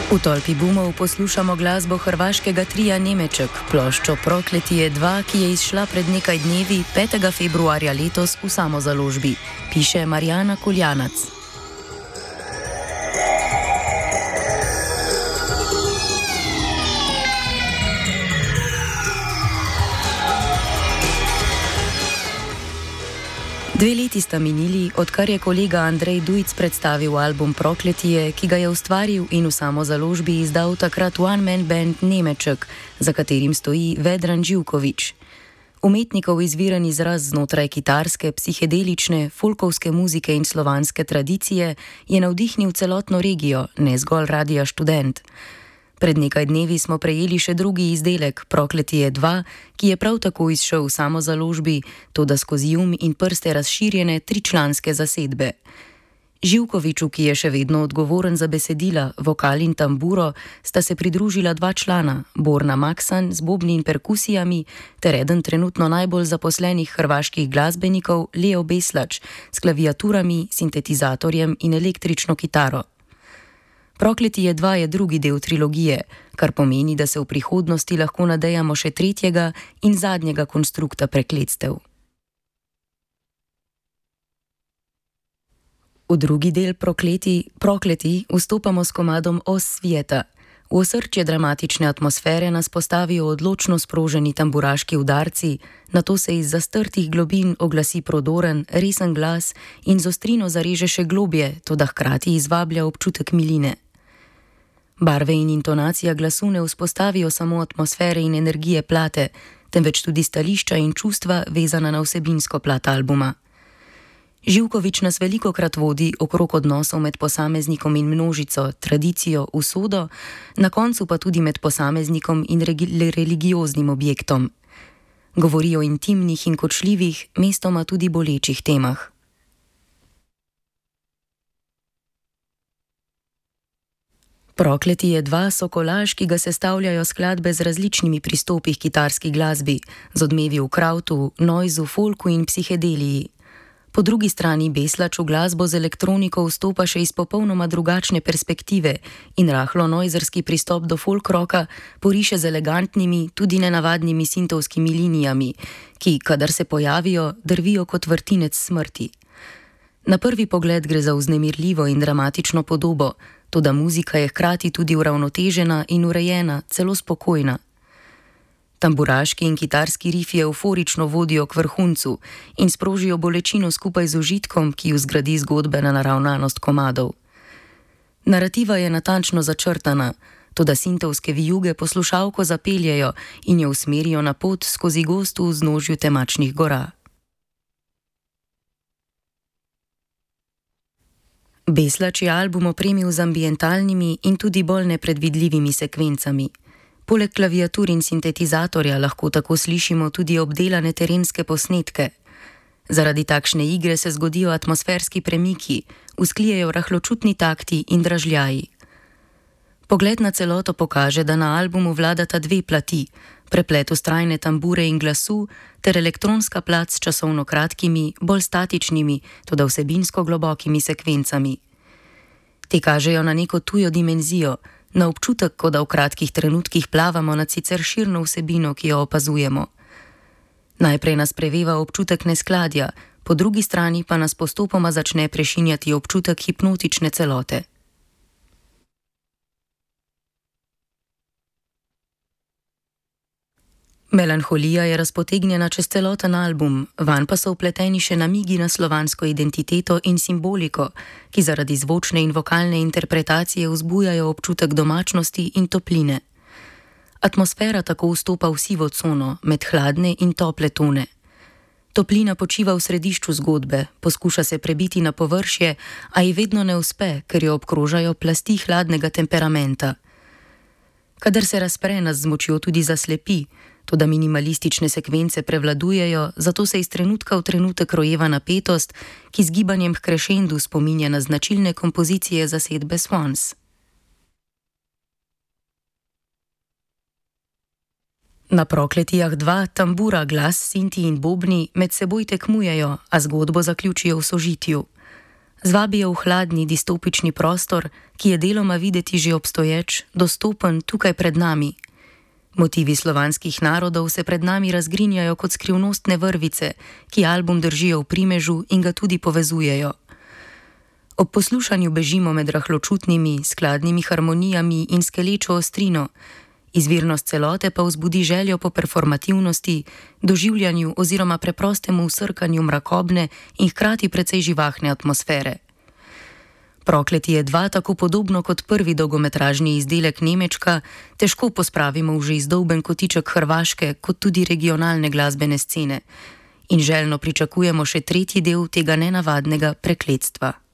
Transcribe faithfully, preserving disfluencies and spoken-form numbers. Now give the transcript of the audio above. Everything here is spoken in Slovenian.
V tolpi bumov poslušamo glasbo hrvaškega trija Nemeček, ploščo Prokletije dva, ki je izšla pred nekaj dnevi, petega februarja letos v samozaložbi, piše Marjana Kuljanac. Dve leti sta minili, odkar je kolega Andrej Dujc predstavil album Prokletije, ki ga je ustvaril in v samozaložbi izdal takrat one-man band Nemeček, za katerim stoji Vedran Živković. Umetnikov izviran izraz znotraj kitarske, psihedelične, folkovske muzike in slovanske tradicije je navdihnil celotno regijo, ne zgolj Radia Študent. Pred nekaj dnevi smo prejeli še drugi izdelek, Prokletije dva, ki je prav tako izšel v samozaložbi, toda skozi um in prste razširjene tričlanske zasedbe. Živkoviću, ki je še vedno odgovoren za besedila, vokal in tamburo, sta se pridružila dva člana, Borna Maksan z bobni in perkusijami, ter eden trenutno najbolj zaposlenih hrvaških glasbenikov, Leo Beslač, s klaviaturami, sintetizatorjem in električno kitaro. Prokletije dva je drugi del trilogije, kar pomeni, da se v prihodnosti lahko nadejamo še tretjega in zadnjega konstrukta prekletstev. V drugi del Prokleti, Prokleti vstopamo s komadom Os svijeta. V osrčje dramatične atmosfere nas postavijo odločno sproženi tamburaški udarci, nato se iz zastrtih globin oglasi prodoren, resen glas in z ostrino zareže še globje, toda hkrati izvablja občutek miline. Barve in intonacija glasu ne vzpostavijo samo atmosfere in energije plate, temveč tudi stališča in čustva vezana na vsebinsko plat albuma. Živković nas velikokrat vodi okrog odnosov med posameznikom in množico, tradicijo, usodo, na koncu pa tudi med posameznikom in religioznim objektom. Govori o intimnih in kočljivih, mestoma tudi bolečih temah. Prokletije dva so kolaž, ki ga sestavljajo skladbe z različnimi pristopi k kitarski glasbi, z odmevi v krautu, noizu, folku in psihedeliji. Po drugi strani Beslač v glasbo z elektroniko vstopa še iz popolnoma drugačne perspektive in rahlo noizerski pristop do folk rocka poriše z elegantnimi, tudi nenavadnimi sintovskimi linijami, ki, kadar se pojavijo, drvijo kot vrtinec smrti. Na prvi pogled gre za vznemirljivo in dramatično podobo, toda muzika je hkrati tudi uravnotežena in urejena, celo spokojna. Tamburaški in kitarski rifi euforično vodijo k vrhuncu in sprožijo bolečino skupaj z užitkom, ki ju zgradi zgodbena naravnanost komadov. Narativa je natančno začrtana, toda sintovske vijuge poslušalko zapeljejo in jo usmerijo na pot skozi gost v vznožju temačnih gora. Beslač je album opremil z ambientalnimi in tudi bolj nepredvidljivimi sekvencami. Poleg klaviatur in sintetizatorja lahko tako slišimo tudi obdelane terenske posnetke. Zaradi takšne igre se zgodijo atmosferski premiki, vzklijejo rahločutni takti in dražljaji. Pogled na celoto pokaže, da na albumu vladata dve plati, preplet vztrajne tambure in glasu ter elektronska plat s časovno kratkimi, bolj statičnimi, toda vsebinsko globokimi sekvencami. Te kažejo na neko tujo dimenzijo, na občutek, kot da v kratkih trenutkih plavamo nad sicer širno vsebino, ki jo opazujemo. Najprej nas preveva občutek neskladja, po drugi strani pa nas postopoma začne prešinjati občutek hipnotične celote. Melanholija je razpotegnjena čez celoten album, vanj pa so vpleteni še namigi na slovansko identiteto in simboliko, ki zaradi zvočne in vokalne interpretacije vzbujajo občutek domačnosti in topline. Atmosfera tako vstopa v sivo cono, med hladne in tople tone. Toplina počiva v središču zgodbe, poskuša se prebiti na površje, a ji vedno ne uspe, ker jo obkrožajo plasti hladnega temperamenta. Kadar se razpre, nas z močjo tudi zaslepi, toda minimalistične sekvence prevladujejo, zato se iz trenutka v trenutek rojeva napetost, ki z gibanjem h krešendu spominja na značilne kompozicije zasedbe Swans. Na Prokletijah dva tambura, glas, sinti in bobni med seboj tekmujejo, a zgodbo zaključijo v sožitju. Zvabijo v hladni distopični prostor, ki je deloma videti že obstoječ, dostopen tukaj pred nami. Motivi slovanskih narodov se pred nami razgrinjajo kot skrivnostne vrvice, ki album držijo v primežu in ga tudi povezujejo. Ob poslušanju bežimo med rahločutnimi, skladnimi harmonijami in skelečo ostrino, izvirnost celote pa vzbudi željo po performativnosti, doživljanju oziroma preprostemu vsrkanju mrakobne in hkrati precej živahne atmosfere. Prokletje dva, tako podobno kot prvi dolgometražni izdelek Nemečka, težko pospravimo v že izdolben kotiček hrvaške kot tudi regionalne glasbene scene in željno pričakujemo še tretji del tega nenavadnega prekletstva.